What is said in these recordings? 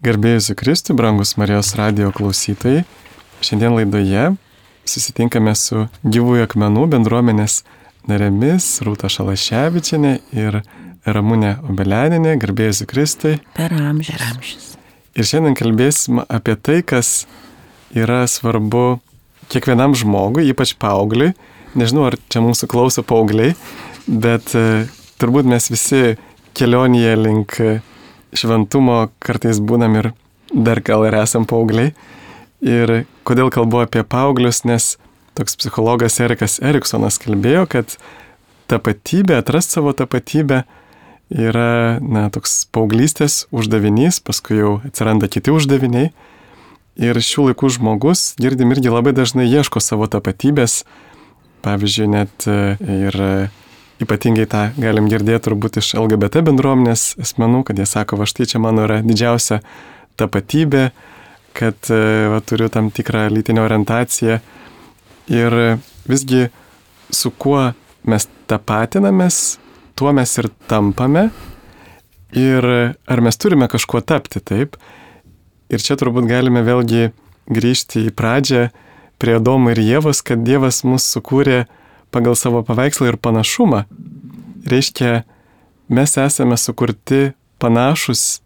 Garbė Jėzui Kristui, brangus Marijos radijo klausytojai. Šiandien laidoje susitinkame su Gyvųjų akmenų bendruomenės narėmis Rūta Šalaševičienė ir Ramunė Obeleninė. Garbė Jėzui Kristui. Per amžius. Ir šiandien kalbėsim apie tai, kas yra svarbu kiekvienam žmogui, ypač paaugliui. Nežinau, ar čia mūsų klauso paaugliai, bet turbūt mes visi kelionėje link šventumo kartais būnam ir dar gal ir esam paaugliai. Ir kodėl kalbu apie paauglius, nes toks psichologas Erikas Eriksonas kalbėjo, kad tapatybė, atrasti savo tapatybę yra toks paauglystės uždavinys, paskui jau atsiranda kiti uždaviniai. Ir šių laikų žmogus, girdim, irgi labai dažnai ieško savo tapatybės. Pavyzdžiui, net ir ypatingai tą galim girdėti turbūt iš LGBT bendruomenės asmenų, kad jie sako, va štai čia mano yra didžiausia tapatybė, kad turiu tam tikrą lytinę orientaciją. Ir visgi su kuo mes tapatinamės, tuo mes ir tampame. Ir ar mes turime kažkuo tapti, taip? Ir čia turbūt galime vėlgi grįžti į pradžią prie Adomo ir Ievos, kad Dievas mus sukūrė pagal savo paveikslą ir panašumą. Reiškia, mes esame sukurti panašus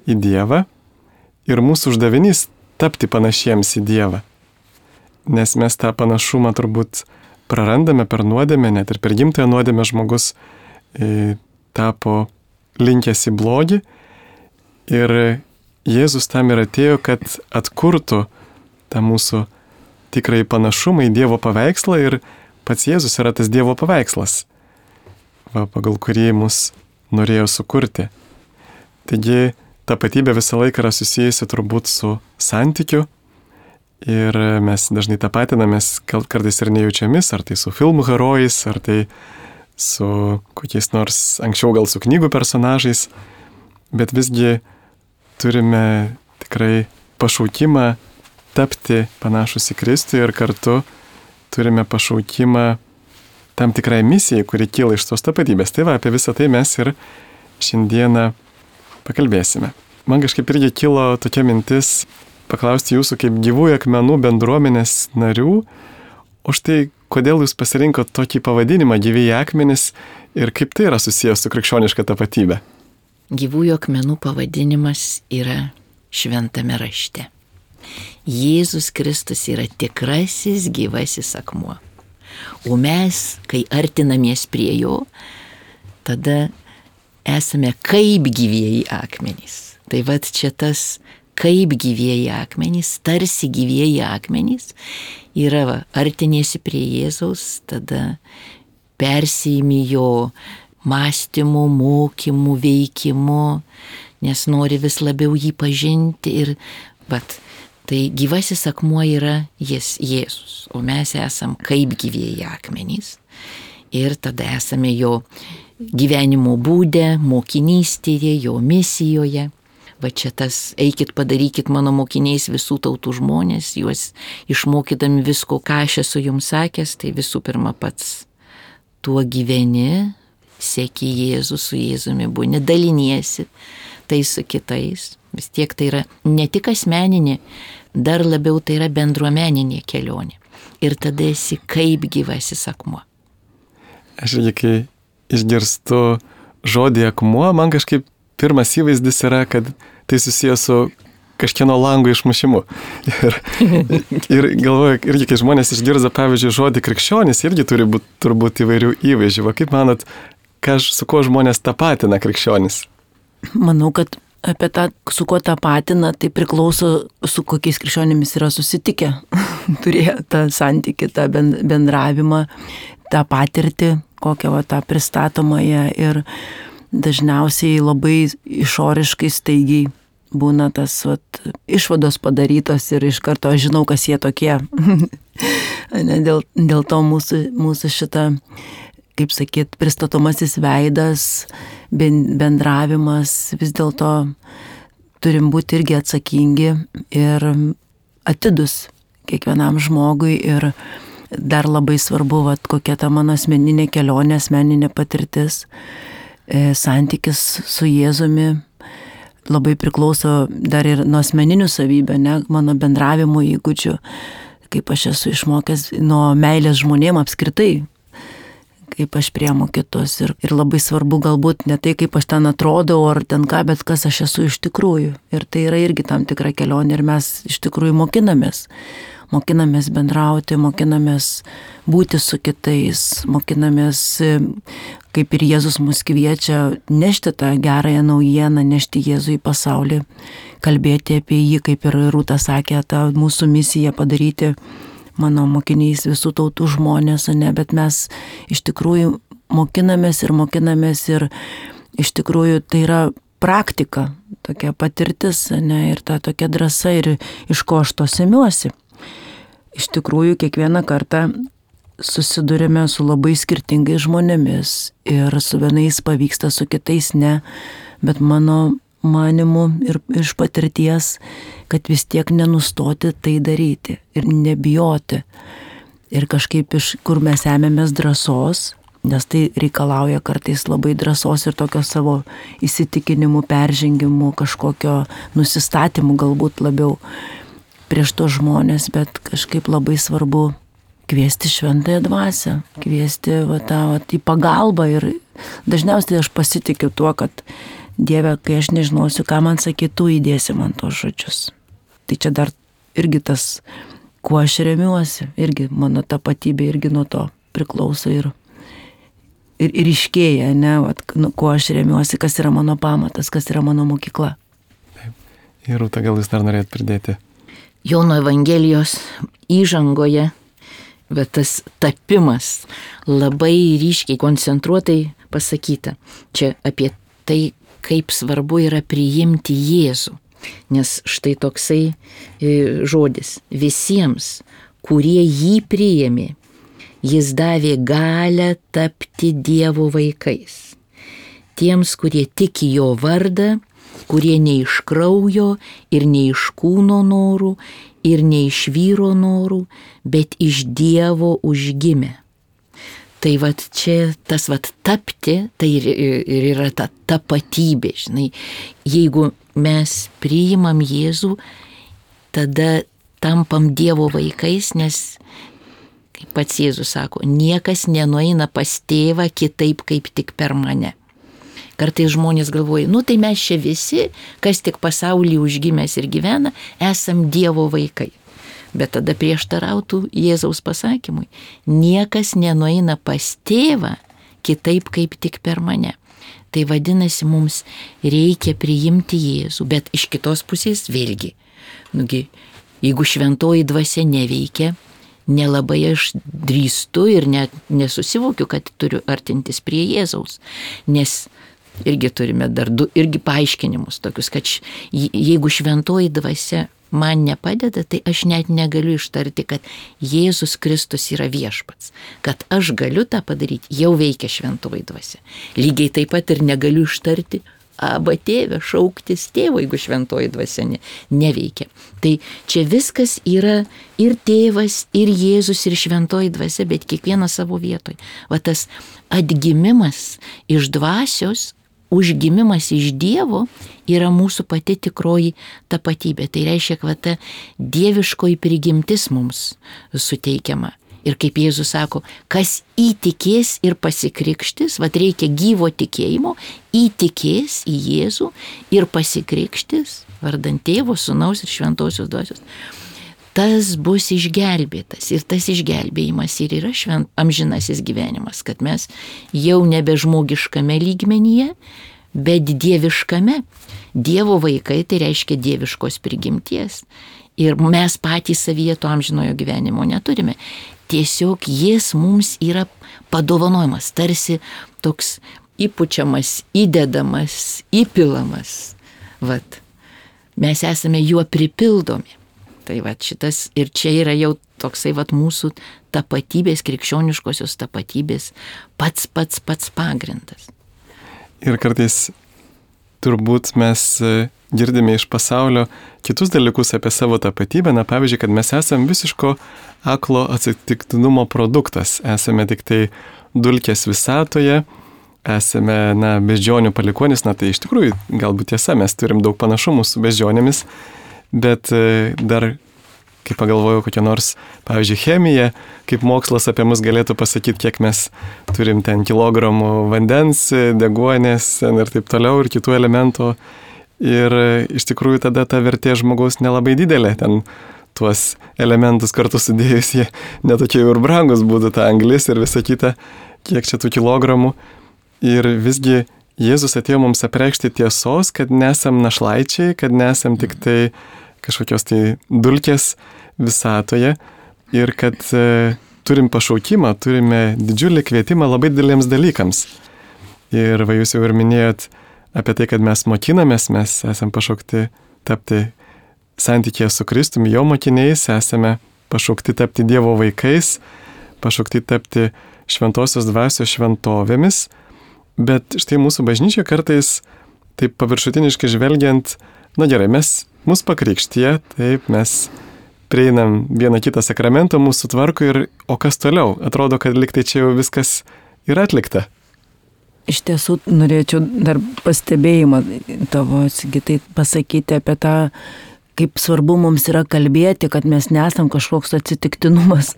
į Dievą ir mūsų uždavinys tapti panašiems į Dievą. Nes mes tą panašumą turbūt prarandame per nuodėmę, net ir per gimtąją nuodėmę žmogus tapo linkęs į blogį. Ir Jėzus tam ir atėjo, kad atkurtų tą mūsų tikrai panašumą į Dievo paveikslą ir pats Jėzus yra tas Dievo paveikslas, pagal kurį mus norėjo sukurti. Taigi tapatybė visą laiką yra susijusi turbūt su santykiu ir mes dažnai tapatinamės kartais ir nejaučiamis, ar tai su filmų herojais, ar tai su kokiais nors anksčiau gal su knygų personažais, bet visgi turime tikrai pašaukimą tapti panašus į Kristų ir kartu turime pašaukimą tam tikrai misijai, kuri kyla iš tos tapatybės. Tai apie visą tai mes ir šiandieną pakalbėsime. Man kažkaip irgi kilo tokia mintis paklausti jūsų kaip Gyvųjų akmenų bendruomenės narių, o štai kodėl jūs pasirinkot tokį pavadinimą Gyvieji akmenys ir kaip tai yra susijęs su krikščioniška tapatybė? Gyvųjų akmenų pavadinimas yra šventame rašte. Jėzus Kristus yra tikrasis gyvasis akmuo. O mes, kai artinamės prie jo, tada esame kaip gyvieji akmenys. Tai vat čia tas kaip gyvieji akmenys, tarsi gyvieji akmenys yra artiniesi prie Jėzaus, tada persijimi jo mąstymu, mokymu, veikimu, nes nori vis labiau jį pažinti ir tai gyvasis akmuo yra Jėzus, o mes esam kaip gyvieji akmenys ir tada esame jo gyvenimo būde, mokinystėje, jo misijoje. Va čia tas, eikit padarykit mano mokiniais visų tautų žmonės, juos išmokydami visko, ką aš esu jums sakęs, tai visų pirma pats tuo gyveni, seki Jėzų, su Jėzumi būni, daliniesi tai su kitais. Vis tiek tai yra ne tik asmeninė, dar labiau tai yra bendruomeninė kelionė. Ir tada esi kaip gyvasis akmuo. Aš irgi, kai išgirstu žodį akmuo, man kažkaip pirmas įvaizdis yra, kad tai susijęs su kažkieno lango išmušimu. Ir galvoju, irgi kai žmonės išgirza, pavyzdžiui, žodį krikščionis, irgi turi būti turbūt įvairių įvaizdžių. Va, kaip manot, su kuo žmonės tapatina krikščionis? Manau, kad apie tą, su kuo tapatina, tai priklauso, su kokiais krikščionimis yra susitikę. Turėjo tą santykį, tą bendravimą, tą patirtį, kokią tą pristatomąją ir dažniausiai labai išoriškai staigiai būna tas išvados padarytos ir iš karto aš žinau, kas jie tokie. Dėl to mūsų šitą, kaip sakyt, pristatomasis veidas, bendravimas, vis dėlto turim būti irgi atsakingi ir atidus kiekvienam žmogui ir dar labai svarbu, kokia ta mano asmeninė kelionė, asmeninė patirtis, santykis su Jėzumi, labai priklauso dar ir nuo asmeninių savybių, ne, mano bendravimo įgūdžių, kaip aš esu išmokęs nuo meilės žmonėm apskritai, kaip aš priemu kitus. Ir labai svarbu galbūt ne tai, kaip aš ten atrodau ar ten ką, bet kas aš esu iš tikrųjų. Ir tai yra irgi tam tikra kelionė ir mes iš tikrųjų mokinamės. Mokinamės bendrauti, mokinamės būti su kitais, mokinamės, kaip ir Jėzus mus kviečia, nešti tą gerąją naujieną, nešti Jėzų į pasaulį, kalbėti apie jį, kaip ir Rūta sakė, tą mūsų misiją padaryti mano mokiniais visų tautų žmonės, ne, bet mes iš tikrųjų mokinamės ir iš tikrųjų tai yra praktika, tokia patirtis, ne, ir ta tokia drąsa ir iš ko aš to semiuosi. Iš tikrųjų, kiekvieną kartą susidurime su labai skirtingais žmonėmis ir su vienais pavyksta, su kitais ne, bet mano manimu ir iš patirties, kad vis tiek nenustoti tai daryti ir nebijoti. Ir kažkaip iš kur mes ėmėmės drąsos, nes tai reikalauja kartais labai drąsos ir tokio savo įsitikinimų, peržengimų, kažkokio nusistatymų galbūt labiau prieš tos žmonės, bet kažkaip labai svarbu kviesti šventąją dvasią, kviesti į pagalbą ir dažniausiai aš pasitikiu tuo, kad Dieve, kai aš nežinosiu, ką man sakytų, įdėsi man tos žodžius. Tai čia dar irgi tas, kuo aš remiuosi, irgi mano tapatybė irgi nuo to priklauso ir iškėja, ne, kuo aš remiuosi, kas yra mano pamatas, kas yra mano mokykla. Taip. Ir Rūta, gal jūs dar norėt pridėti? Jono Evangelijos įžangoje, bet tas tapimas labai ryškiai, koncentruotai pasakyta. Čia apie tai, kaip svarbu yra priimti Jėzų. Nes štai toksai žodis. Visiems, kurie jį priėmė, jis davė galią tapti Dievo vaikais. Tiems, kurie tiki jo vardą, kurie ne iš kraujo ir ne iš kūno norų ir ne iš vyro norų, bet iš Dievo užgimė. Tai vat čia tas vat tapti, tai ir yra ta tapatybė, žinai. Jeigu mes priimam Jėzų, tada tampam Dievo vaikais, nes, kaip pats Jėzus sako, niekas nenueina pas tėvą kitaip kaip tik per mane. Kartais žmonės galvoja, tai mes čia visi, kas tik pasaulyje užgimęs ir gyvena, esam Dievo vaikai. Bet tada prieštarautų Jėzaus pasakymui. Niekas nenueina pas tėvą kitaip kaip tik per mane. Tai vadinasi, mums reikia priimti Jėzų, bet iš kitos pusės vėlgi. Jeigu šventoji dvasia neveikia, nelabai aš drįstu ir net nesusivokiu, kad turiu artintis prie Jėzaus. Nes irgi turime dar du irgi paaiškinimus tokius, kad jeigu šventoji dvasia man nepadeda, tai aš net negaliu ištarti, kad Jėzus Kristus yra viešpats. Kad aš galiu tą padaryti, jau veikia šventoji dvasia. Lygiai taip pat ir negaliu ištarti, Aba tėve, šauktis tėvo, jeigu šventoji dvasia neveikia. Tai čia viskas yra ir tėvas, ir Jėzus, ir šventoji dvasia, bet kiekvienas savo vietoj. Va tas atgimimas iš dvasios, užgimimas iš Dievo yra mūsų pati tikroji tapatybė. Tai reiškia, kad ta dieviškoji prigimtis mums suteikiama. Ir kaip Jėzus sako, kas įtikės ir pasikrikštis, vat reikia gyvo tikėjimo, įtikės į Jėzų ir pasikrikštis, vardant Tėvo, Sūnaus ir Šventosios Dvasios, tas bus išgelbėtas. Ir tas išgelbėjimas ir yra amžinasis gyvenimas, kad mes jau nebe žmogiškame lygmenyje, bet dieviškame. Dievo vaikai tai reiškia dieviškos prigimties. Ir mes patys savyje to amžinojo gyvenimo neturime. Tiesiog jis mums yra padovanojamas, tarsi toks įpučiamas, įdedamas, įpilamas. Vat. Mes esame juo pripildomi. Tai vat šitas ir čia yra jau toksai vat mūsų tapatybės, krikščioniškosios tapatybės pats pagrindas. Ir kartais turbūt mes girdime iš pasaulio kitus dalykus apie savo tapatybę, na pavyzdžiui, kad mes esame visiško aklo atsitiktinumo produktas, esame tik tai dulkės visatoje, esame, beždžionių palikuonis, tai iš tikrųjų galbūt tiesa, mes turim daug panašumų su beždžionėmis, bet dar, kai pagalvojau, kokia nors, pavyzdžiui, chemija, kaip mokslas apie mus galėtų pasakyti, kiek mes turim ten kilogramų vandens, deguonės ir taip toliau ir kitų elementų. Ir iš tikrųjų tada ta vertė žmogaus nelabai didelė, ten tuos elementus kartu sudėjus jie netokie ir brangus būtų, ta anglis ir visa kita, kiek čia tų kilogramų. Ir visgi Jėzus atėjo mums apreikšti tiesos, kad nesam našlaičiai, kad nesam tik tai kažkokios tai dulkės visatoje ir kad turim pašaukimą, turime didžiulį kvietimą labai dideliems dalykams. Ir va jūs jau ir minėjot apie tai, kad mes mokinamės, mes esam pašaukti tapti santykėje su Kristumi, jo mokiniais, esame pašaukti tapti Dievo vaikais, pašaukti tapti šventosios dvasios šventovėmis, bet štai mūsų bažnyčia kartais taip paviršutiniškai žvelgiant, gerai, mus pakrikštyje, taip, mes prieinam vieną kitą sakramento, mūsų tvarko o kas toliau? Atrodo, kad liktai čia jau viskas yra atlikta. Iš tiesų, norėčiau dar pastebėjimą tavo, Sigitai, pasakyti apie tą, kaip svarbu mums yra kalbėti, kad mes nesam kažkoks atsitiktinumas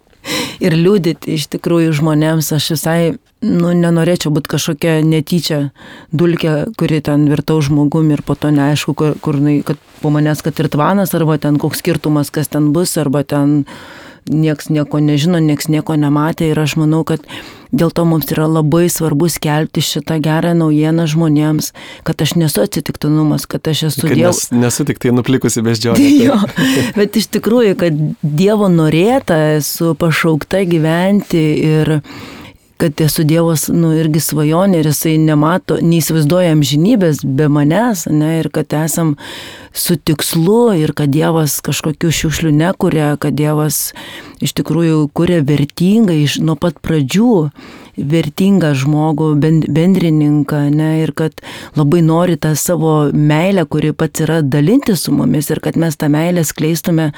ir liūdėti iš tikrųjų žmonėms. Aš visai, nenorėčiau būti kažkokia netyčia dulkė, kuri ten virtau žmogum ir po to neaišku, kad po manęs, kad ir tvanas, arba ten koks skirtumas, kas ten bus, arba ten nieks nieko nežino, nieks nieko nematė. Ir aš manau, kad dėl to mums yra labai svarbu skelbti šitą gerą naujieną žmonėms, kad aš nesu atsitiktinumas, kad aš esu Dievas. Nesu tik tai nuplikusi beždžionė. Jo, bet iš tikrųjų, kad Dievo norėta, esu pašaukta gyventi ir kad esu Dievas, irgi svajonė ir jisai nemato, neįsivaizduoja amžinybės be manęs, ir kad esam su tikslu ir kad Dievas kažkokių šiukšlių nekuria, kad Dievas iš tikrųjų kuria vertingai nuo pat pradžių, vertingą žmogų, bendrininką, ir kad labai nori tą savo meilę, kuri pats yra, dalinti su mumis ir kad mes tą meilę skleistume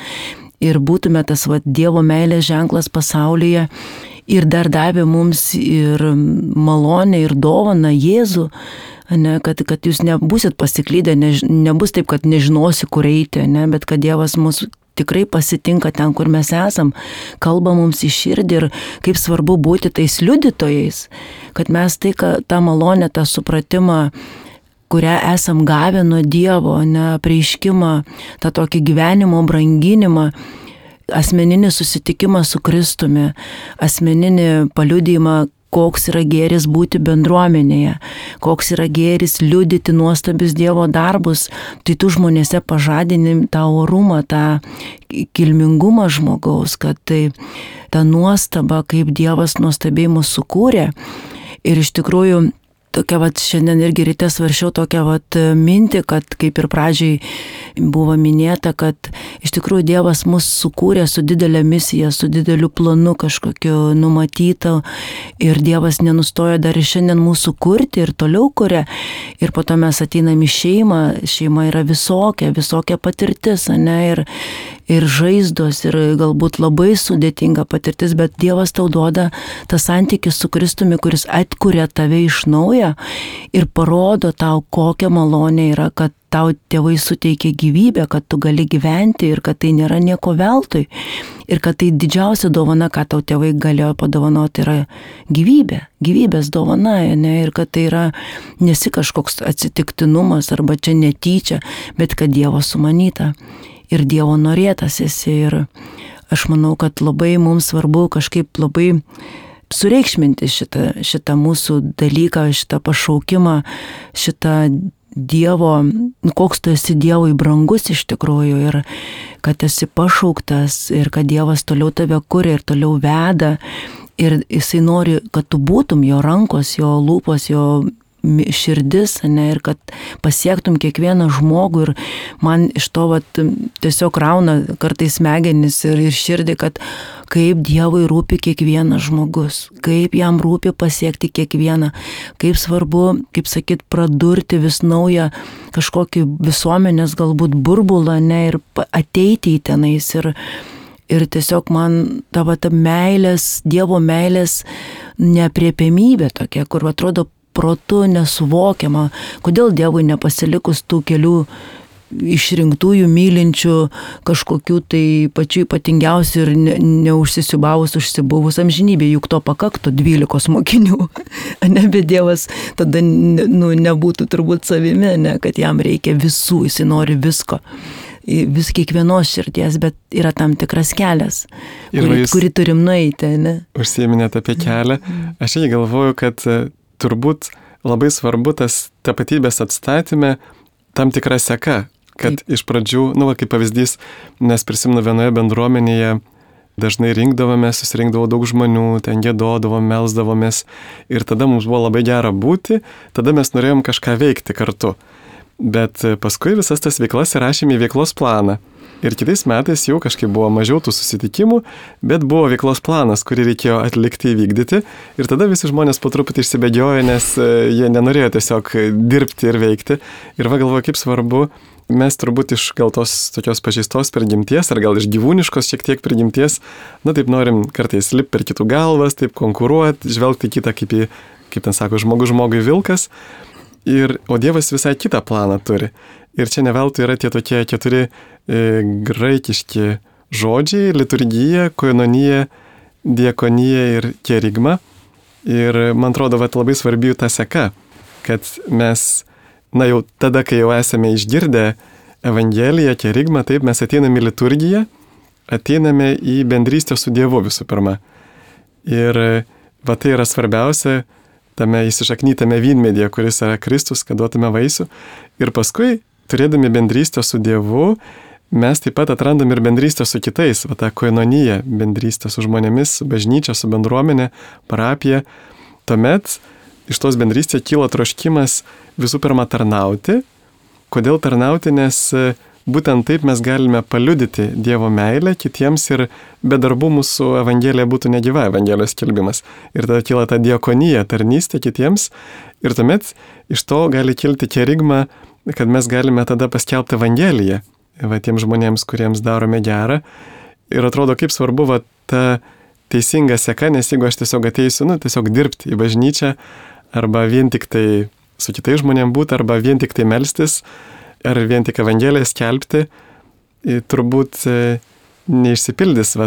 ir būtume tas Dievo meilės ženklas pasaulyje. Ir dar davė mums ir malonę, ir dovaną Jėzų, kad jūs nebūsit pasiklydę, nebus taip, kad nežinosi, kur eiti, bet kad Dievas mus tikrai pasitinka ten, kur mes esam, kalba mums į širdį ir kaip svarbu būti tais liudytojais, kad mes tą malonę, tą supratimą, kurią esam gavę nuo Dievo, apreiškimą, tą tokį gyvenimo branginimą, asmeninį susitikimą su Kristumi, asmeninį paliudijimą, koks yra gėris būti bendruomenėje, koks yra gėris liudyti nuostabius Dievo darbus, tai tu žmonėse pažadini tą orumą, tą kilmingumą žmogaus, kad tai ta nuostaba, kaip Dievas nuostabiai mus sukūrė. Ir iš tikrųjų, tokia šiandien irgi ryte svaršiau tokią mintį, kad kaip ir pradžiai buvo minėta, kad iš tikrųjų Dievas mus sukūrė su didelė misija, su dideliu planu kažkokiu numatyta ir Dievas nenustoja dar ir šiandien mūsų kurti ir toliau kuria. Ir po to mes ateinam į šeimą, šeima yra visokia patirtis, ir žaizdos, ir galbūt labai sudėtinga patirtis, bet Dievas tau duoda tą santykį su Kristumi, kuris atkuria tave iš naujo ir parodo tau, kokia malonė yra, kad tau tėvai suteikia gyvybę, kad tu gali gyventi ir kad tai nėra nieko veltui. Ir kad tai didžiausia dovana, ką tau tėvai galėjo padovanoti, yra gyvybė, gyvybės dovana, ir kad tai yra nesi kažkoks atsitiktinumas arba čia netyčia, bet kad Dievo sumanyta ir Dievo norėtas esi. Ir aš manau, kad labai mums svarbu kažkaip labai sureikšminti šitą mūsų dalyką, šitą pašaukimą, šitą Dievo, koks tu esi Dievui brangus iš tikrųjų ir kad esi pašauktas ir kad Dievas toliau tave kuria ir toliau veda ir jisai nori, kad tu būtum jo rankos, jo lūpos, jo širdis, ir kad pasiektum kiekvieną žmogų ir man iš to tiesiog rauna kartais smegenis ir širdį, kad kaip Dievui rūpi kiekvienas žmogus, kaip jam rūpi pasiekti kiekvieną, kaip svarbu, kaip sakyt, pradurti vis naują kažkokį visuomenės galbūt burbulą, ir ateiti į tenais ir tiesiog man ta meilės, Dievo meilės neapriepiamybė tokia, kur atrodo protu nesuvokiama, kodėl Dievui nepasilikus tų kelių išrinktųjų, mylinčių, kažkokių tai pačių ypatingiausių ir neužsisiubavus, užsibuvus amžinybė, juk to pakaktų 12 mokinių, ne, bet Dievas tada nebūtų turbūt savimi, ne, kad jam reikia visų, jisai nori visko, vis kiekvienos širdies, bet yra tam tikras kelias, kurį turim nueiti, ne? Užsiminėte apie kelią, aš irgi galvoju, kad turbūt labai svarbu tas tapatybės atstatyme tam tikra seka, kad iš pradžių, kaip pavyzdys, nes prisimenu vienoje bendruomenėje dažnai susirinkdavo daug žmonių, ten giedodavom, melsdavomės ir tada mums buvo labai gera būti, tada mes norėjom kažką veikti kartu. Bet paskui visas tas veiklas įrašėme į veiklos planą. Ir kitais metais jau kažkaip buvo mažiau tų susitikimų, bet buvo veiklos planas, kurį reikėjo atlikti, įvykdyti. Ir tada visi žmonės po truputį išsibėgiojo, nes jie nenorėjo tiesiog dirbti ir veikti. Ir galvoju, kaip svarbu, mes turbūt iš gal tos tokios pažeistos prigimties, ar gal iš gyvūniškos šiek tiek prigimties, taip norim kartais lipti per kitų galvas, taip konkuruoti, žvelgti kitą kaip ten sako, žmogui vilkas. O Dievas visai kitą planą turi. Ir čia neveltui yra tie tokie 4 graikiški žodžiai – liturgija, koinonija, diakonija ir kerigma. Ir man atrodo, labai svarbi ta seka, kad mes, jau tada, kai jau esame išgirdę Evangeliją, kerigmą, taip mes ateiname į liturgiją, ateiname į bendrystę su Dievu visų pirma. Ir tai yra svarbiausia, tame įsišaknytame vynmedyje, kuris yra Kristus, kad duotume vaisių. Ir paskui, turėdami bendrystę su Dievu, mes taip pat atrandam ir bendrystę su kitais, tą koinoniją, bendrystę su žmonėmis, su bažnyčia, su bendruomenė, parapija. Tuomet iš tos bendrystės kyla troškimas visų pirma tarnauti. Kodėl tarnauti? Nes būtent taip mes galime paliudyti Dievo meilę kitiems ir be darbų mūsų Evangelija būtų negyva, Evangelijos skelbimas. Ir tada kyla ta diakonija, tarnystė kitiems. Ir tuomet iš to gali kilti kerigma, kad mes galime tada paskelbti Evangeliją tiems žmonėms, kuriems darome gerą. Ir atrodo, kaip svarbu ta teisinga seka, nes jeigu aš tiesiog ateisiu, tiesiog dirbti į bažnyčią, arba vien tik tai su kitais žmonėms būti, arba vien tik tai melstis, ar vien tik Evangeliją skelbti, turbūt neišsipildys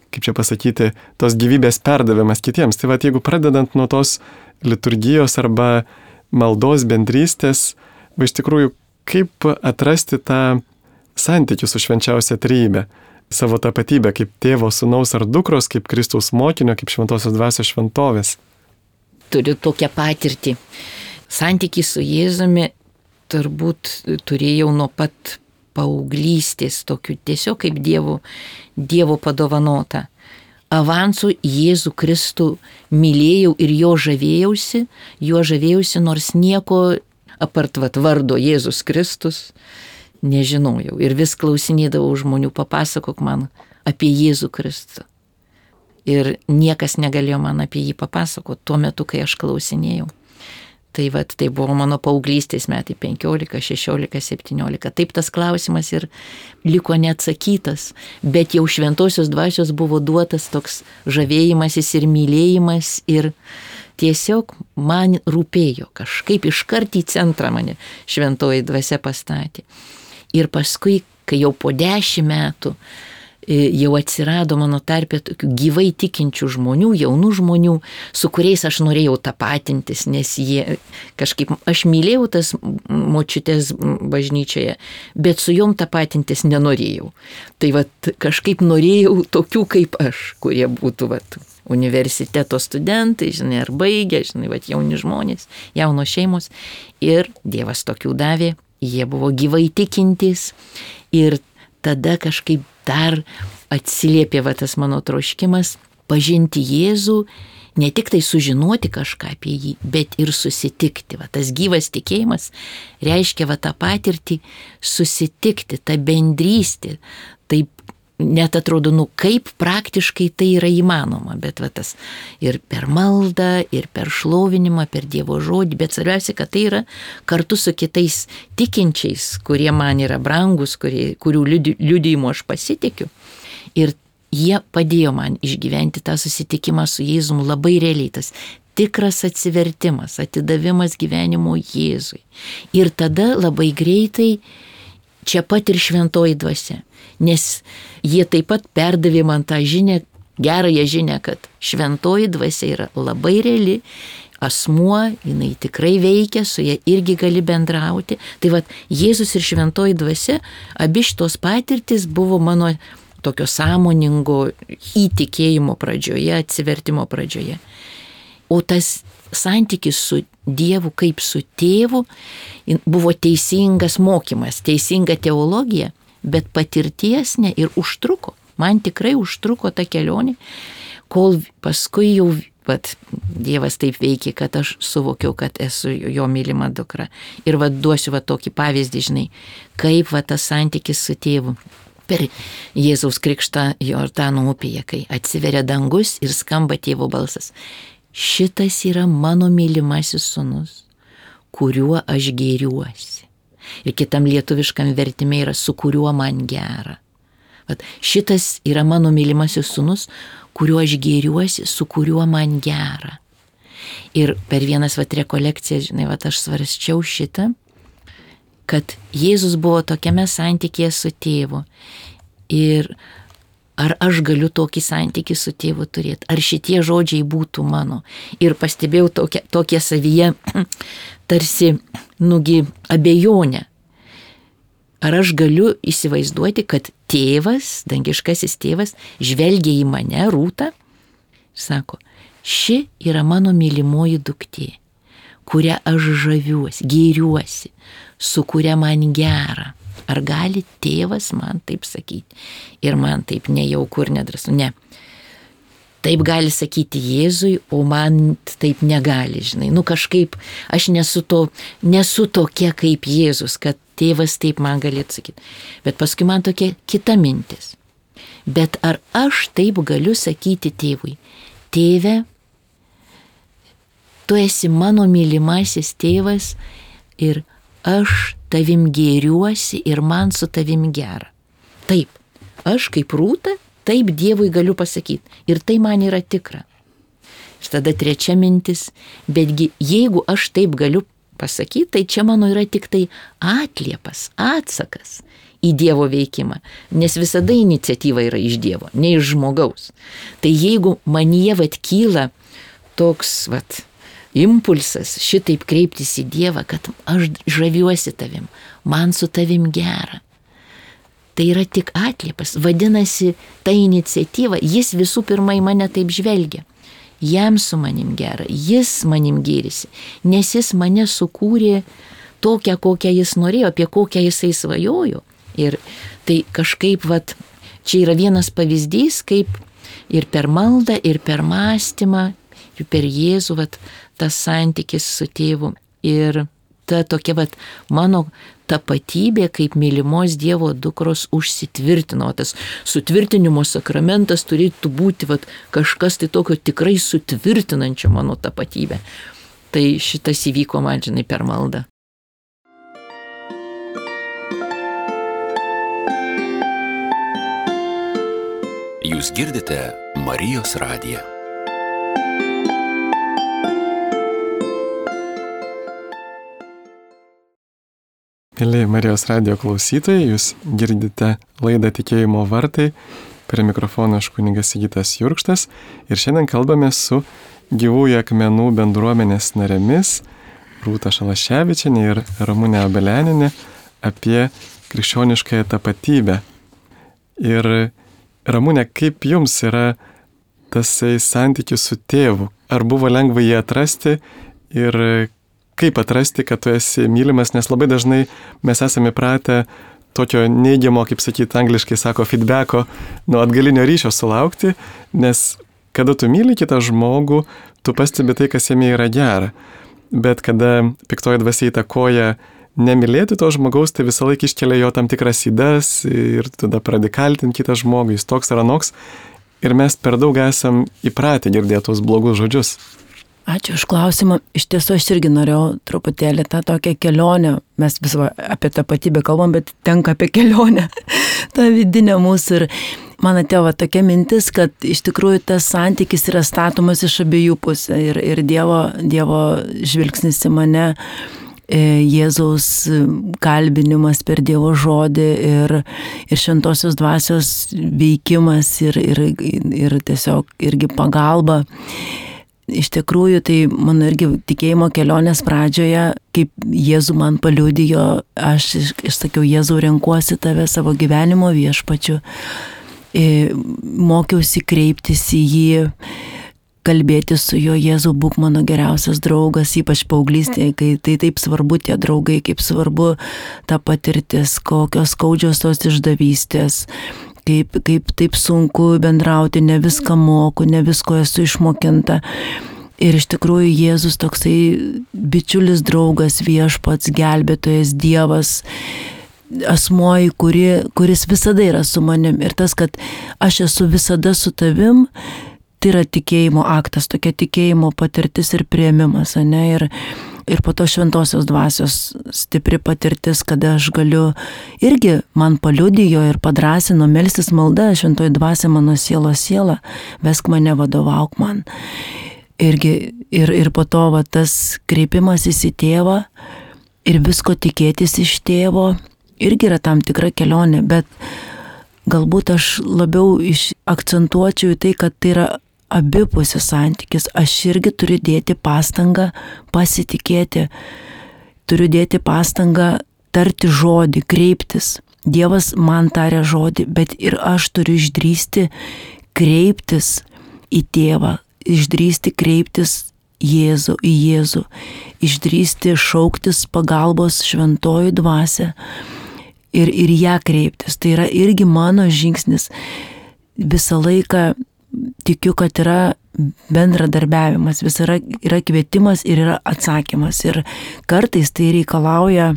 kaip čia pasakyti, tos gyvybės perdavimas kitiems. Tai jeigu pradedant nuo tos liturgijos arba maldos bendrystės, iš tikrųjų, kaip atrasti tą santykį su švenčiausia trejybe, savo tapatybę kaip tėvo, sūnaus ar dukros, kaip Kristaus mokinio, kaip šventosios dvasios šventovės. Turiu tokią patirtį. Santykį su Jėzumi turbūt turėjau nuo pat paauglystės, tokių tiesiog kaip Dievo padovanota. Avansu Jėzų Kristų mylėjau ir jo žavėjausi, nors nieko apart vardo Jėzus Kristus nežinojau. Ir vis klausinėdavau žmonių, papasakok man apie Jėzų Kristų. Ir niekas negalėjo man apie jį papasakoti tuo metu, kai aš klausinėjau. Tai buvo mano paauglystės metai 15, 16, 17. Taip tas klausimas ir liko neatsakytas, bet jau šventosios dvasios buvo duotas toks žavėjimasis ir mylėjimas ir tiesiog man rūpėjo kažkaip iškart į centrą mane šventoji dvasia pastatė. Ir paskui, kai jau po 10 metų jau atsirado mano tarpe tokių gyvai tikinčių žmonių, jaunų žmonių, su kuriais aš norėjau tapatintis, nes jie kažkaip, aš mylėjau tas močiutės bažnyčioje, bet su jom tapatintis nenorėjau. Tai kažkaip norėjau tokių kaip aš, kurie būtų universiteto studentai, ar baigę, jauni žmonės, jaunos šeimos. Ir Dievas tokių davė, jie buvo gyvai tikintys ir tada kažkaip dar atsiliepė tas mano troškimas pažinti Jėzų, ne tik tai sužinoti kažką apie jį, bet ir susitikti. Tas gyvas tikėjimas reiškia tą patirtį susitikti, tą bendrystę. Taip net atrodo, kaip praktiškai tai yra įmanoma, bet tas ir per maldą, ir per šlovinimą, per Dievo žodį, bet svarbiausia, kad tai yra kartu su kitais tikinčiais, kurie man yra brangus, kurių liudijimu aš pasitikiu. Ir jie padėjo man išgyventi tą susitikimą su Jėzum labai realiai, tas tikras atsivertimas, atidavimas gyvenimo Jėzui. Ir tada labai greitai čia pat ir šventoji dvasia, nes jie taip pat perdavė man tą žinią, gerąją žinią, kad šventoji dvasia yra labai reali, asmuo, jinai tikrai veikia, su ja irgi gali bendrauti. Tai vat Jėzus ir šventoji dvasia, abi šitos patirtis buvo mano tokio sąmoningo įtikėjimo pradžioje, atsivertimo pradžioje. O tas santykis su Dievu kaip su tėvu buvo teisingas mokymas, teisinga teologija, bet patirties ne ir užtruko. Man tikrai užtruko ta kelionė, kol paskui jau Dievas taip veikia, kad aš suvokiau, kad esu jo mylima dukra. Ir duosiu tokį pavyzdį, žinai, kaip tas santykis su tėvu. Per Jėzaus krikštą Jordano upėje, kai atsiveria dangus ir skamba tėvo balsas. Šitas yra mano mylimasis sūnus, kuriuo aš gėriuosi. Ir kitam lietuviškam vertime yra su kuriuo man gera. Šitas yra mano mylimasis sūnus, kuriuo aš gėriuosi, su kuriuo man gera. Ir per vienas rekolekcijas, žinai, aš svarsčiau šitą, kad Jėzus buvo tokiame santykėje su tėvu. Ir ar aš galiu tokį santykį su tėvu turėti? Ar šitie žodžiai būtų mano? Ir pastebėjau tokią savyje tarsi, abejonę. Ar aš galiu įsivaizduoti, kad tėvas, dangiškasis tėvas, žvelgia į mane, Rūtą, sako, ši yra mano mylimoji duktė, kurią aš žaviuosi, gėriuosi, su kuria man gera. Ar gali tėvas man taip sakyti? Ir man taip nejauku ir nedrąsu. Ne. Taip gali sakyti Jėzui, o man taip negali, žinai. Kažkaip aš nesu tokia kaip Jėzus, kad tėvas taip man galėtų sakyti. Bet paskui man tokia kita mintis. Bet ar aš taip galiu sakyti tėvui? Tėve, tu esi mano mylimasis tėvas ir aš tavim gėriuosi ir man su tavim gera. Taip, aš kaip Rūta, taip Dievui galiu pasakyti. Ir tai man yra tikra. Ir tada trečia mintis, betgi jeigu aš taip galiu pasakyti, tai čia mano yra tik tai atliepas, atsakas į Dievo veikimą. Nes visada iniciatyva yra iš Dievo, ne iš žmogaus. Tai jeigu manyje kyla toks impulsas šitaip kreiptis į Dievą, kad aš žaviuosi tavim, man su tavim gera. Tai yra tik atliepas. Vadinasi, ta iniciatyva, jis visų pirma į mane taip žvelgia. Jam su manim gera, jis manim gėrisi, nes jis mane sukūrė tokią, kokią jis norėjo, apie kokią jisai svajojo. Ir tai kažkaip, čia yra vienas pavyzdys, kaip ir per maldą, ir per mąstymą, ir per Jėzų, tas santykis su tėvu. Ir ta tokia mano tapatybė kaip mylimos Dievo dukros užsitvirtino. Tas sutvirtinimo sakramentas turėtų būti kažkas tai tokio tikrai sutvirtinančio mano tapatybę. Tai šitas įvyko man, žinai, per maldą. Jūs girdite Marijos radiją. Mėly Marijos radijo klausytojai, jūs girdite laidą Tikėjimo vartai, prie mikrofono aš kunigas Sigitas Jurkštas ir šiandien kalbame su Gyvųjų akmenų bendruomenės narėmis Rūta Šalaševičienė ir Ramunė Obeleninė apie krikščioniškąją tapatybę. Ir Ramunė, kaip jums yra tasai santykis su tėvu? Ar buvo lengva jį atrasti ir kaip atrasti, kad tu esi mylimas, nes labai dažnai mes esame pratę tokio neigiamo, kaip sakyti, angliškai sako, feedbacko, atgalinio ryšio sulaukti, nes kada tu myli kitą žmogų, tu pastebi tai, kas jame yra gera. Bet kada piktoji dvasia įtakoja nemylėti to žmogaus, tai visą laiką iškelia jo tam tikras ydas ir tada pradedi kaltinti kitą žmogų, jis toks ar anoks. Ir mes per daug esam įpratę girdėti tos blogus žodžius. Ačiū už klausimą. Iš tiesų aš irgi norėjau truputėlį tą tokią kelionę. Mes vis apie tapatybę kalbam, bet tenka apie kelionę. tą vidinę mūsų. man atėjo tokia mintis, kad iš tikrųjų tas santykis yra statomas iš abiejų pusių ir Dievo žvilgsnis į mane, Jėzaus kalbinimas per Dievo žodį ir šventosios dvasios veikimas ir tiesiog irgi pagalba. Iš tikrųjų, tai mano irgi tikėjimo kelionės pradžioje, kaip Jėzų man paliudijo, aš sakiau, Jėzau, renkuosi tave savo gyvenimo viešpačiu, mokiausi kreiptis į jį, kalbėti su juo, Jėzau, būk mano geriausias draugas, ypač paauglystėje, kai tai taip svarbu tie draugai, kaip svarbu ta patirtis, kokios skaudžios tos išdavystės, kaip taip sunku bendrauti, ne viską moku, ne visko esu išmokinta. Ir iš tikrųjų Jėzus toksai bičiulis draugas, viešpats, gelbėtojas, Dievas, asmuo, kuris visada yra su manim. Ir tas, kad aš esu visada su tavim, tai yra tikėjimo aktas, tokia tikėjimo patirtis ir priėmimas, ne? Ir po to šventosios dvasios stipri patirtis, kada aš galiu, irgi man paliudijo ir padrasino melstis malda, šventoji dvasia mano siela, vesk mane, vadovauk man. Ir po to va, tas kreipimasis į tėvą ir visko tikėtis iš tėvo, irgi yra tam tikra kelionė, bet galbūt aš labiau akcentuočiau į tai, kad tai yra abipusis santykis. Aš irgi turiu dėti pastangą pasitikėti, turiu dėti pastangą tarti žodį, kreiptis. Dievas man taria žodį, bet ir aš turiu išdrįsti kreiptis į tėvą, išdrįsti kreiptis į Jėzų, išdrįsti šauktis pagalbos šventoji dvasia ir ją kreiptis. Tai yra irgi mano žingsnis. Visą laiką tikiu, kad yra bendradarbiavimas, vis yra kvietimas ir yra atsakymas. Ir kartais tai reikalauja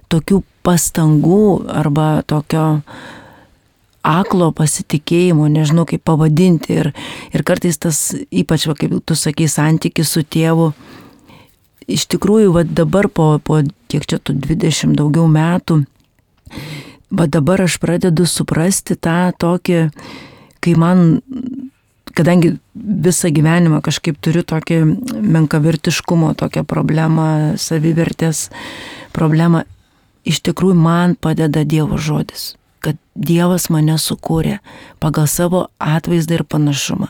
tokių pastangų arba tokio aklo pasitikėjimo, nežinau kaip pavadinti. Ir kartais tas, ypač, kaip tu sakai, santykis su tėvu, iš tikrųjų, dabar po kiek čia tų 20 daugiau metų, dabar aš pradedu suprasti tą tokį, kai man, kadangi visą gyvenimą kažkaip turiu tokį menkavertiškumo, tokią problemą, savivertės problemą, iš tikrųjų man padeda Dievo žodis, kad Dievas mane sukūrė pagal savo atvaizdą ir panašumą.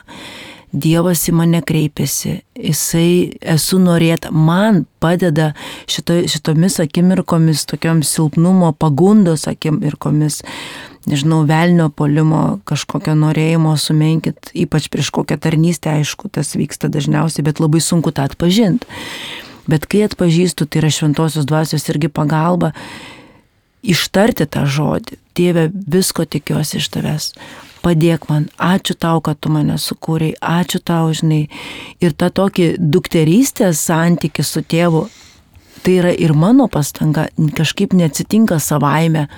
Dievas į mane kreipiasi, jisai esu norėta, man padeda šitomis akimirkomis, tokiom silpnumo, pagundos akimirkomis, nežinau, velnio puolimo, kažkokio norėjimo sumenkit, ypač prieš kokią tarnystę, aišku, tas vyksta dažniausiai, bet labai sunku tą atpažinti. Bet kai atpažįstu, tai yra šventosios dvasios irgi pagalba, ištarti tą žodį. Dieve, visko tikiuosi iš tavęs. Padėk man, ačiū tau, kad tu mane sukūrei, ačiū tau, žinai. Ir ta tokį dukterystės santykį su tėvu, tai yra ir mano pastanga, kažkaip neatsitinka savaime.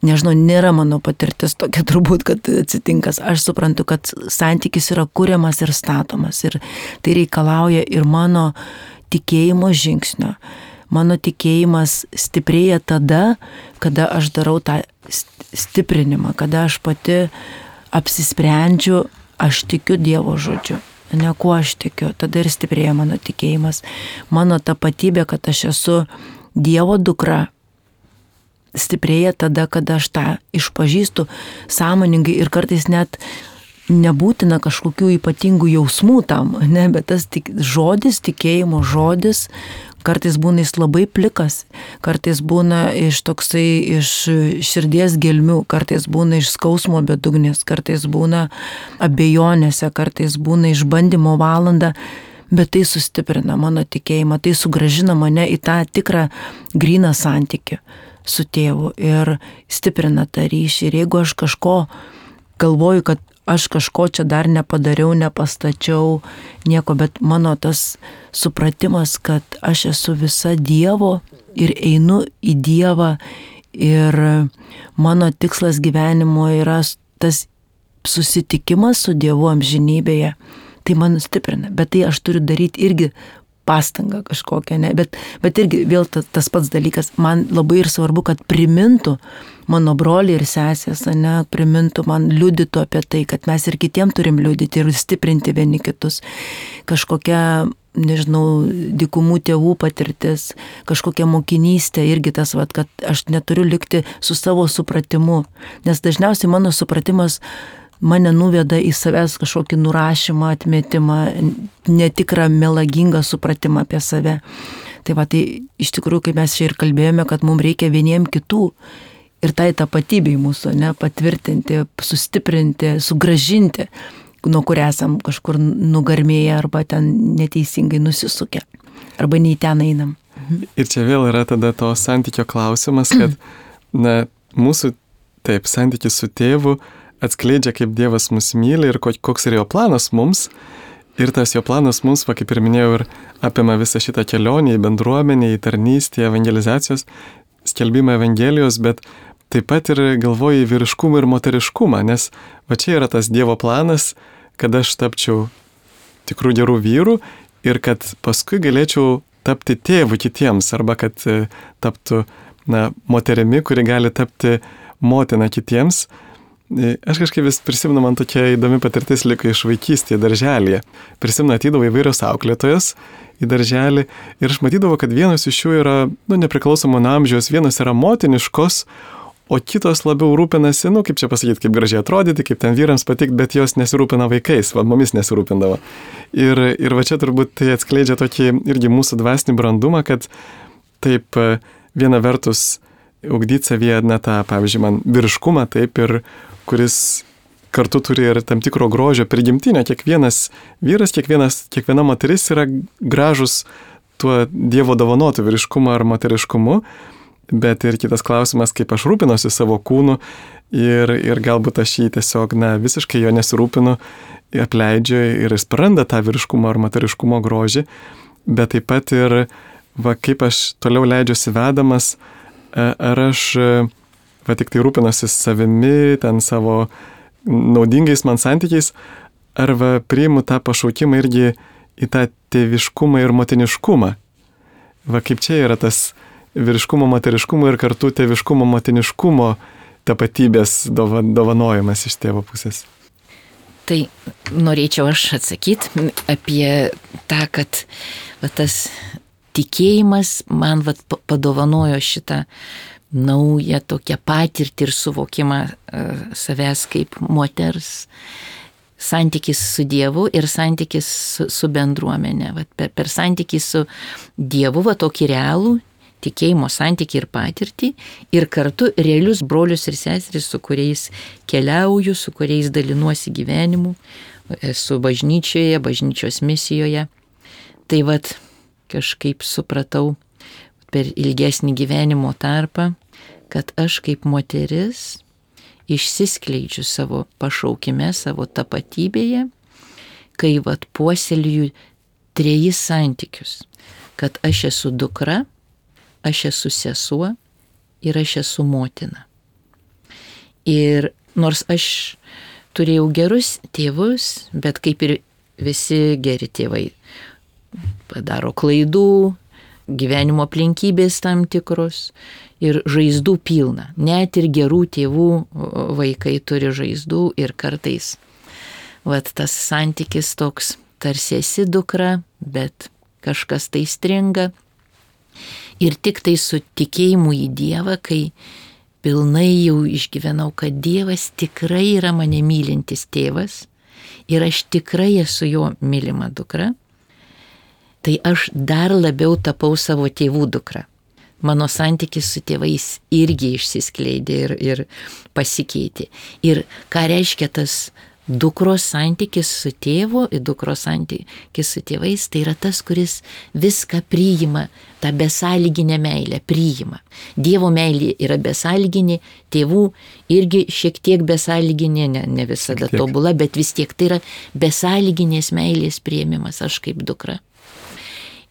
Nežinau, nėra mano patirtis tokia turbūt, kad atsitinka. Aš suprantu, kad santykis yra kuriamas ir statomas. Ir tai reikalauja ir mano tikėjimo žingsnio. Mano tikėjimas stiprėja tada, kada aš darau tą stiprinimą, kada aš pati apsisprendžiu, aš tikiu Dievo žodžiu, ne kuo aš tikiu, tada ir stiprėja mano tikėjimas. Mano tapatybė, kad aš esu Dievo dukra, stiprėja tada, kada aš tą išpažįstu sąmoningai ir kartais net nebūtina kažkokių ypatingų jausmų tam, ne, bet tas žodis, tikėjimo žodis, kartais būna jis labai plikas, kartais būna iš širdies gelmių, kartais būna iš skausmo bedugnės, kartais būna abejonėse, kartais būna išbandymo valanda, bet tai sustiprina mano tikėjimą, tai sugrąžina mane į tą tikrą gryną santykį su tėvu ir stiprina tą ryšį. Ir jeigu aš kažko galvoju, kad aš kažko čia dar nepadariau, nepastačiau, nieko, bet mano tas supratimas, kad aš esu visa Dievo ir einu į Dievą ir mano tikslas gyvenimo yra tas susitikimas su Dievu amžinybėje, tai man stiprina, bet tai aš turiu daryti irgi pastangą kažkokią, ne? Bet irgi vėl tas pats dalykas, man labai ir svarbu, kad primintų mano broliai ir sesės, ne, primintų man, liudytų apie tai, kad mes ir kitiem turim liudyti ir stiprinti vieni kitus. Kažkokia, nežinau, dykumų tėvų patirtis, kažkokia mokinystė, irgi tas, kad aš neturiu likti su savo supratimu, nes dažniausiai mano supratimas mane nuveda į savęs kažkokį nurašymą, atmetimą, netikrą melagingą supratimą apie save. Tai iš tikrųjų, kai mes čia ir kalbėjome, kad mums reikia vieniem kitų ir tai tapatybei mūsų, ne, patvirtinti, sustiprinti, sugrąžinti, nuo kur esam kažkur nugarmėję arba ten neteisingai nusisukę, arba nei ten einam. Ir čia vėl yra tada to santykio klausimas, kad mūsų santykis su tėvu atskleidžia, kaip Dievas mus myli ir koks yra jo planas mums. Ir tas jo planas mums, kaip ir minėjau, ir apima visą šitą kelionę į bendruomenę, į tarnystę, evangelizacijos, skelbimą Evangelijos, bet taip pat ir galvoju į vyriškumą ir moteriškumą, nes čia yra tas Dievo planas, kad aš tapčiau tikrų gerų vyrų ir kad paskui galėčiau tapti tėvu kitiems, arba kad taptų moterimi, kuri gali tapti motina kitiems. Aš kažkaip vis prisimenu, man tokia įdomi patirtis liko iš vaikystėje darželėje. Prisimenu, atydavo įvairios auklėtojos į darželį ir aš matydavau, kad vienos iš jų yra nepriklausomo nuo amžiaus, vienos yra motiniškos, o kitos labiau rūpinasi, kaip čia pasakyti, kaip gražiai atrodyti, kaip ten vyrams patikti, bet jos nesirūpina vaikais, mumis nesirūpindavo. Ir va čia turbūt tai atskleidžia tokį irgi mūsų dvasinį brandumą, kad taip viena vertus ugdyti savyje tą, pavyzdžiui, man vyriškumą, taip, ir kuris kartu turi ir tam tikro grožio prigimtinio. Kiekvienas vyras, kiekviena moteris yra gražus tuo Dievo dovanotu vyriškumu ar moteriškumu, bet ir kitas klausimas, kaip aš rūpinosi savo kūnu ir galbūt aš jį tiesiog, visiškai jo nesirūpinu, apleidžiu ir jis praranda tą vyriškumo ar moteriškumo grožį, bet taip pat ir, kaip aš toliau leidžiuosi vedamas, ar aš tik tai rūpinosi savimi, ten savo naudingais man santykiais, ar priimu tą pašaukimą irgi į tą tėviškumą ir motiniškumą. Kaip čia yra tas vyriškumo, moteriškumo ir kartu tėviškumo, motiniškumo tapatybės dovanojimas iš tėvo pusės. Tai norėčiau aš atsakyti apie tą, kad tas tikėjimas man padovanojo šitą naują tokią patirtį ir suvokimą savęs kaip moters, santykis su Dievu ir santykis su bendruomenė. Per santykį su Dievu, tokį realų tikėjimo santykį ir patirtį, ir kartu realius brolius ir seseris, su kuriais keliauju, su kuriais dalinuosi gyvenimu, esu bažnyčioje, bažnyčios misijoje. Tai kažkaip supratau per ilgesnį gyvenimo tarpą, kad aš kaip moteris išsiskleidžiu savo pašaukime, savo tapatybėje, kai puoselėju 3 santykius, kad aš esu dukra, aš esu sesuo ir aš esu motina. Ir nors aš turėjau gerus tėvus, bet kaip ir visi geri tėvai padaro klaidų, gyvenimo aplinkybės tam tikros ir žaizdų pilna. Net ir gerų tėvų vaikai turi žaizdų ir kartais tas santykis toks, tarsi esi dukra, bet kažkas tai stringa. Ir tik tai su tikėjimu į Dievą, kai pilnai jau išgyvenau, kad Dievas tikrai yra mane mylintis tėvas ir aš tikrai esu jo mylima dukra, tai aš dar labiau tapau savo tėvų dukra. Mano santykis su tėvais irgi išsiskleidė ir pasikeitė. Ir ką reiškia tas dukros santykis su tėvu, dukros santykis su tėvais, tai yra tas, kuris viską priima, tą besąlyginę meilę priima. Dievo meilė yra besąlyginė, tėvų irgi šiek tiek besąlyginė, ne visada tobula, bet vis tiek tai yra besąlyginės meilės priėmimas, aš kaip dukra.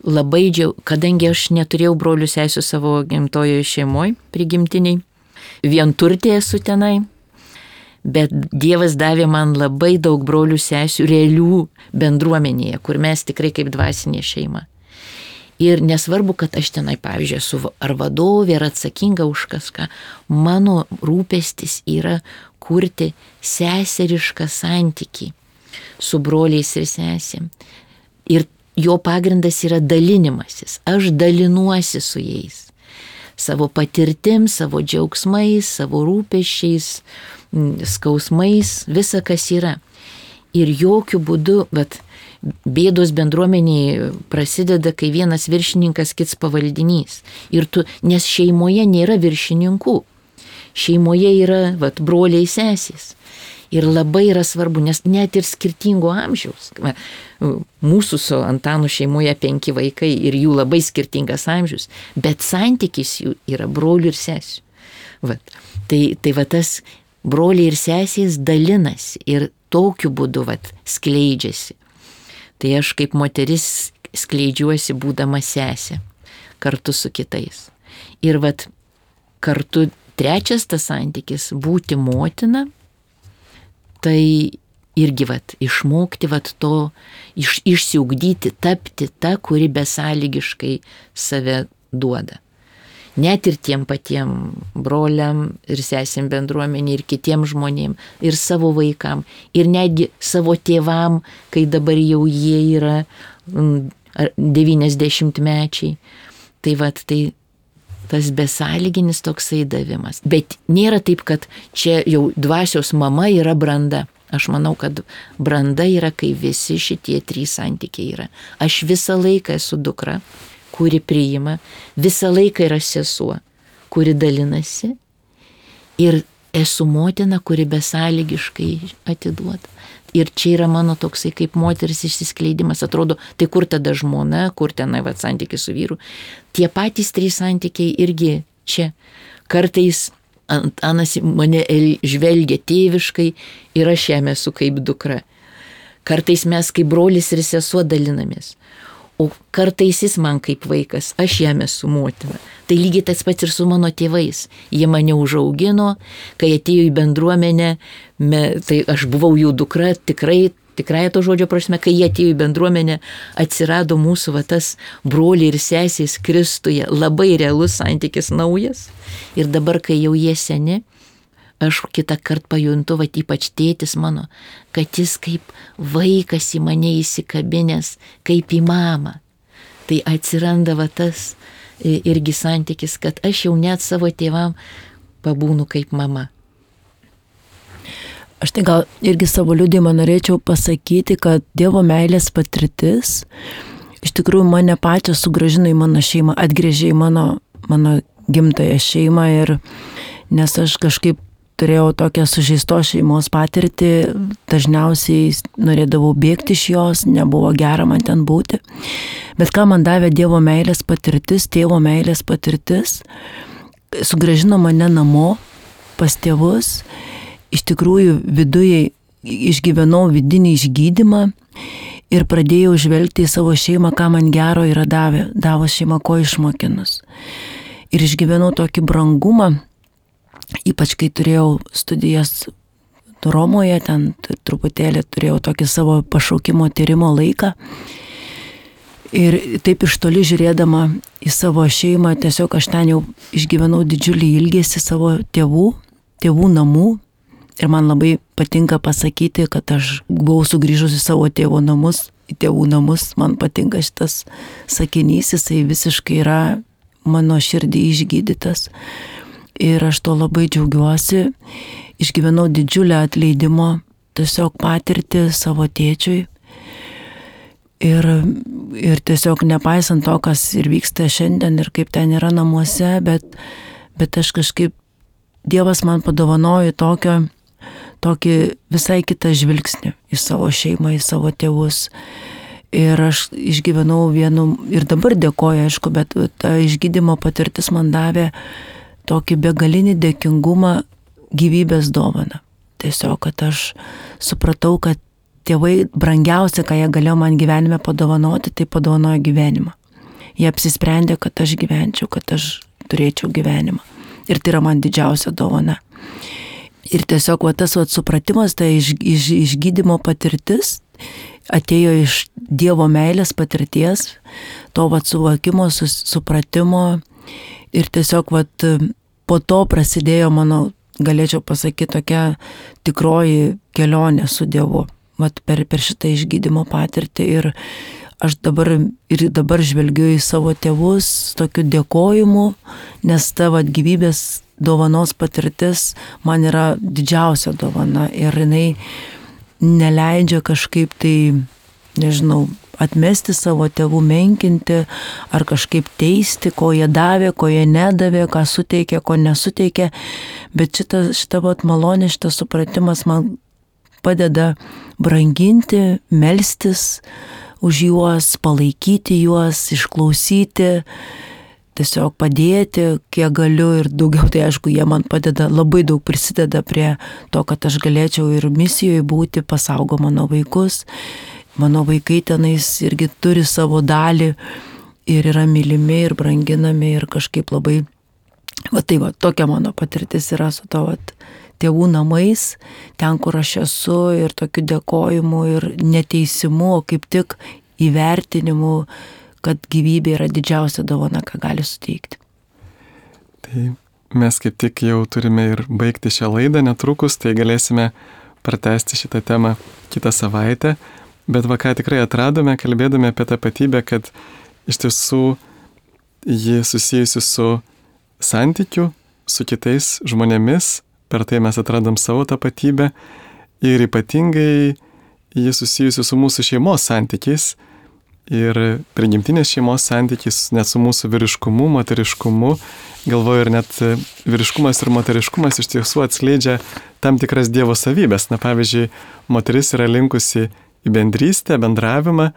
Labai kadangi aš neturėjau brolių sesių savo gimtojoje šeimoje, prigimtiniai, vienturtė esu tenai, bet Dievas davė man labai daug brolių sesių realių bendruomenėje, kur mes tikrai kaip dvasinė šeima. Ir nesvarbu, kad aš tenai, pavyzdžiui, esu ar vadovė, ar atsakinga už kažką, mano rūpestis yra kurti seserišką santykį su broliais ir sesėm. Ir jo pagrindas yra dalinimasis. Aš dalinuosi su jais. Savo patirtim, savo džiaugsmais, savo rūpesčiais, skausmais, visa kas yra. Ir jokių būdų, bet bėdos bendruomeniai prasideda, kai vienas viršininkas, kits pavaldinys. Nes šeimoje nėra viršininkų. Šeimoje yra broliai sesės. Ir labai yra svarbu, nes net ir skirtingo amžiaus. Mūsų su Antanu šeimoje 5 vaikai ir jų labai skirtingas amžius, bet santykis jų yra brolių ir sesių. Tai tas broliai ir sesės dalinasi ir tokiu būdu skleidžiasi. Tai aš kaip moteris skleidžiuosi būdama sesė kartu su kitais. Ir kartu trečias tas santykis - būti motina, tai irgi išmokti to, išsiugdyti, tapti ta, kuri besąlygiškai save duoda. Net ir tiem patiem broliam ir sesėm bendruomenė ir kitiem žmonėm, ir savo vaikam, ir netgi savo tėvam, kai dabar jau jie yra 90-mečiai. Tai tas besąlyginis toksai davimas. Bet nėra taip, kad čia jau dvasios mama yra branda. Aš manau, kad branda yra, kai visi šitie 3 santykiai yra. Aš visą laiką esu dukra, kuri priima, visą laiką yra sesuo, kuri dalinasi, ir esu motina, kuri besąlygiškai atiduoda. Ir čia yra mano toksai kaip moters išsiskleidimas. Atrodo, tai kur tada žmona, kur tenai santykis su vyru. Tie patys 3 santykiai irgi čia. Kartais Antanas mane žvelgia tėviškai ir aš jam esu kaip dukra. Kartais mes kaip brolis ir sesuo dalinamės. O kartais jis man kaip vaikas, aš jam esu motina. Tai lygiai tas pats ir su mano tėvais. Jie mane užaugino, kai atėjo į bendruomenę, tai aš buvau jų dukra, tikrai to žodžio prasme, kai jie atėjo į bendruomenę, atsirado mūsų tas broliai ir sesės Kristuje, labai realus santykis naujas. Ir dabar, kai jau jie seni, aš kitą kartą pajuntu, ypač tėtis mano, kad jis kaip vaikas į mane įsikabinęs, kaip į mamą. Tai atsiranda tas irgi santykis, kad aš jau net savo tėvam pabūnu kaip mama. Aš tai gal irgi savo liudijimą norėčiau pasakyti, kad Dievo meilės patirtis iš tikrųjų mane pačią sugrąžino į mano šeimą, atgrėžė į mano gimtąją šeimą, ir nes aš kažkaip turėjau tokią sužeistos šeimos patirtį, dažniausiai norėdavau bėgti iš jos, nebuvo gera man ten būti. Bet ką man davė Dievo meilės patirtis, tėvo meilės patirtis, sugrąžino mane namo pas tėvus. Iš tikrųjų viduje išgyvenau vidinį išgydymą ir pradėjau žvelgti į savo šeimą, ką man gero yra davo šeima, ko išmokinus. Ir išgyvenau tokį brangumą, ypač kai turėjau studijas Romoje, ten truputėlį turėjau tokį savo pašaukimo tyrimo laiką. Ir taip iš toli žiūrėdama į savo šeimą, tiesiog aš ten jau išgyvenau didžiulį ilgesį savo tėvų namų. Ir man labai patinka pasakyti, kad aš buvau sugrįžusi savo tėvų namus. Man patinka šitas sakinys, jisai visiškai yra mano širdį išgydytas. Ir aš to labai džiaugiuosi. Išgyvenau didžiulę atleidimo tiesiog patirtį savo tėčiui. Ir tiesiog nepaisant to, kas ir vyksta šiandien ir kaip ten yra namuose, bet aš kažkaip, Dievas man padovanojo tokį visai kitą žvilgsnį į savo šeimą, į savo tėvus. Ir aš išgyvenau ir dabar dėkoju, aišku, bet ta išgydymo patirtis man davė tokį begalinį dėkingumą, gyvybės dovaną. Tiesiog, kad aš supratau, kad tėvai brangiausia, ką jie galėjo man gyvenime padovanoti, tai padovanojo gyvenimą. Jie apsisprendė, kad aš gyvenčiau, kad aš turėčiau gyvenimą. Ir tai yra man didžiausia dovana. Ir tiesiog tas supratimas, tai išgydymo patirtis, atėjo iš Dievo meilės patirties, to vat suvokimo, supratimo ir tiesiog vat po to prasidėjo mano, galėčiau pasakyti, tokia tikroji kelionė su Dievu, vat per šitą išgydymo patirtį ir aš dabar žvelgiu į savo tėvus tokiu dėkojimu, nes ta vat gyvybės dovanos patirtis man yra didžiausia dovana ir jinai neleidžia kažkaip tai, nežinau, atmesti savo tėvų, menkinti ar kažkaip teisti, ko jie davė, ko jie nedavė, ką suteikė, ko nesuteikė, bet šita vat malonė, šitas supratimas man padeda branginti, melstis už juos, palaikyti juos, išklausyti, tiesiog padėti, kiek galiu ir daugiau, tai aišku, jie man padeda, labai daug prisideda prie to, kad aš galėčiau ir misijoje būti, pasaugo mano vaikus. Mano vaikai tenais irgi turi savo dalį ir yra mylimi ir branginami ir kažkaip labai, tai tokia mano patirtis yra su to tėvų namais, ten, kur aš esu ir tokiu dėkojimu ir neteisimu, o kaip tik įvertinimu, kad gyvybė yra didžiausia dovana, ką gali suteikti. Tai mes kaip tik jau turime ir baigti šią laidą netrukus, tai galėsime pratęsti šitą temą kitą savaitę. Bet ką tikrai atradome, kalbėdami apie tapatybę, kad iš tiesų ji susijusi su santykiu, su kitais žmonėmis, per tai mes atradom savo tapatybę ir ypatingai ji susijusi su mūsų šeimos santykiais ir prigimtinės šeimos santykiais, net su mūsų vyriškumu, moteriškumu. Galvoju, ir net vyriškumas ir moteriškumas iš tiesų atskleidžia tam tikras Dievo savybės. Na, pavyzdžiui, moteris yra linkusi į bendrystę, bendravimą,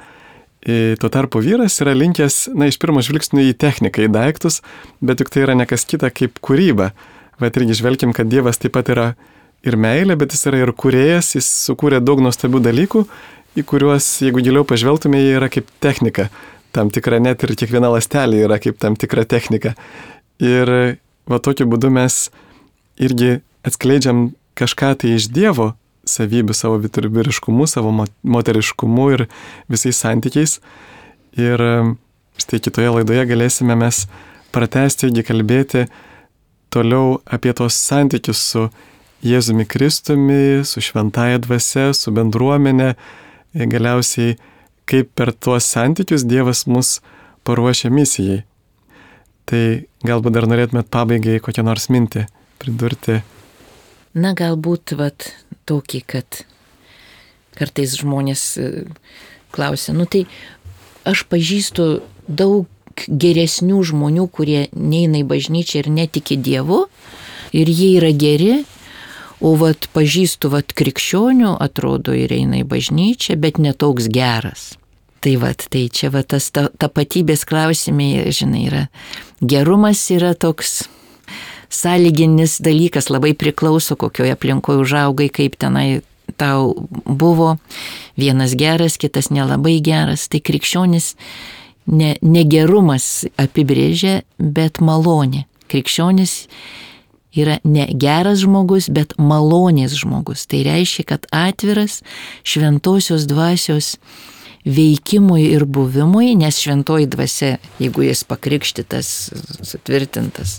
tuo tarpu vyras yra linkęs, iš pirmo žvilgsnio į techniką, į daiktus, bet juk tai yra nekas kita kaip kūryba. Bet irgi žvelkim, kad Dievas taip pat yra ir meilė, bet jis yra ir kūrėjas, jis sukūrė daug nuostabių dalykų, į kuriuos, jeigu giliau pažvelgtume, jie yra kaip technika. Tam tikra, net ir kiekviena ląstelė yra kaip tam tikra technika. Ir tokiu būdu mes irgi atskleidžiam kažką tai iš Dievo savybių, savo vyriškumu, savo moteriškumu ir visais santykiais. Ir štai kitoje laidoje galėsime mes pratęsti irgi kalbėti toliau apie tos santykius su Jėzumi Kristumi, su šventąja dvasia, su bendruomenė, galiausiai kaip per tuos santykius Dievas mus paruošia misijai. Tai galbūt dar norėtumėt pabaigai kokią nors mintį pridurti. Na, galbūt tokį, kad kartais žmonės klausia, tai aš pažįstu daug geresnių žmonių, kurie neina į bažnyčią ir netiki Dievu, ir jie yra geri, o pažįstu krikščionių, atrodo, ir eina į bažnyčią, bet netoks geras. Tai čia tas tapatybės klausimai, žinai, yra. Gerumas yra toks sąlyginis dalykas, labai priklauso, kokioje aplinkoje užaugai, kaip tenai tau buvo. Vienas geras, kitas nelabai geras. Tai krikščionis negerumas apibrėžia, bet malonė. Krikščionis yra ne geras žmogus, bet malonės žmogus. Tai reiškia, kad atviras šventosios dvasios veikimui ir buvimui, nes šventoji dvasia, jeigu jis pakrikštytas, sutvirtintas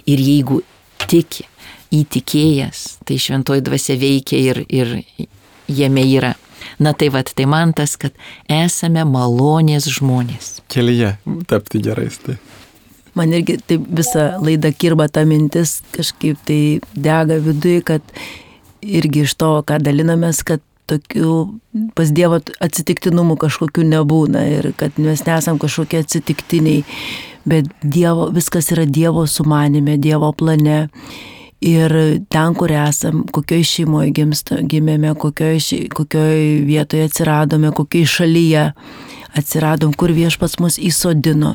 ir jeigu tiki, įtikėjęs, tai šventoji dvasia veikia ir jame yra. Na tai man tas, kad esame malonės žmonės. Kelyje tapti gerais, tai. Man irgi taip visą laidą kirba ta mintis, kažkaip tai dega viduje, kad irgi iš to, ką dalinamės, kad tokių pas Dievo atsitiktinumų kažkokių nebūna ir kad mes nesam kažkokie atsitiktiniai, bet viskas yra Dievo sumanime, Dievo plane. Ir ten, kur esam, kokioj šeimoje gimėme, kokioj vietoje atsiradome, kokioj šalyje atsiradom, kur Viešpats mus įsodino,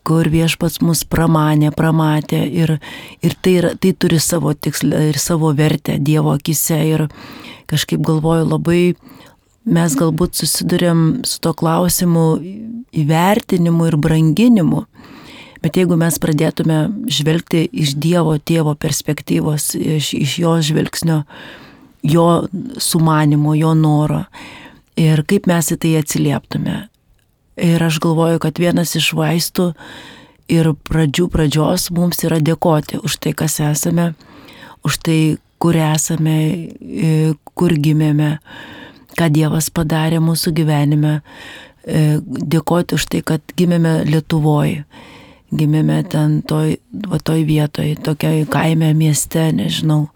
kur Viešpats mus pramatė ir tai turi savo tikslą ir savo vertę Dievo akise. Ir kažkaip galvoju, labai mes galbūt susidurėm su to klausimu įvertinimu ir branginimu, bet jeigu mes pradėtume žvelgti iš Dievo tėvo perspektyvos, iš jo žvilgsnio, jo sumanimo, jo noro, Ir kaip mes į tai atsilieptume. Ir aš galvoju, kad vienas iš vaistų ir pradžios mums yra dėkoti už tai, kas esame, už tai, kur esame, kur gimėme, ką Dievas padarė mūsų gyvenime. Dėkoti už tai, kad gimėme Lietuvoje, gimėme ten toj vietoje, tokioj kaime, mieste, nežinau.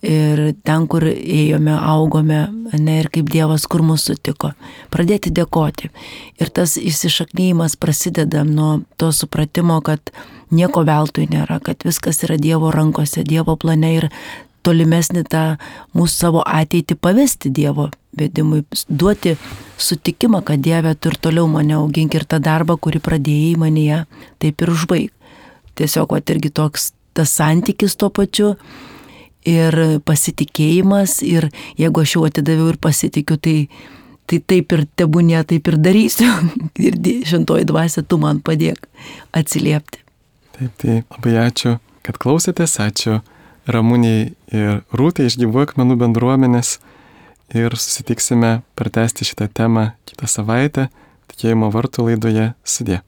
Ir ten, kur ėjome, augome, ir kaip Dievas, kur mūsų sutiko. Pradėti dėkoti. Ir tas įsišaknyjimas prasideda nuo to supratimo, kad nieko veltui nėra, kad viskas yra Dievo rankose, Dievo plane ir tolimesnį tą mūsų savo ateitį pavesti Dievo vedimui, duoti sutikimą, kad Dieve, tu ir toliau mane augink ir tą darbą, kurį pradėjai manyje, taip ir užbaig. Tiesiog irgi toks tas santykis tuo pačiu ir pasitikėjimas, ir jeigu aš jau atidaviau ir pasitikiu, tai taip ir tebūnie, taip ir darysiu. Ir šventoji dvasia, tu man padėk atsiliepti. Taip, tai labai ačiū, kad klausėtės, ačiū Ramuniai ir Rūtai iš Gyvųjų akmenų bendruomenės ir susitiksime pratęsti šitą temą kitą savaitę Tikėjimo vartų laidoje. Sudie.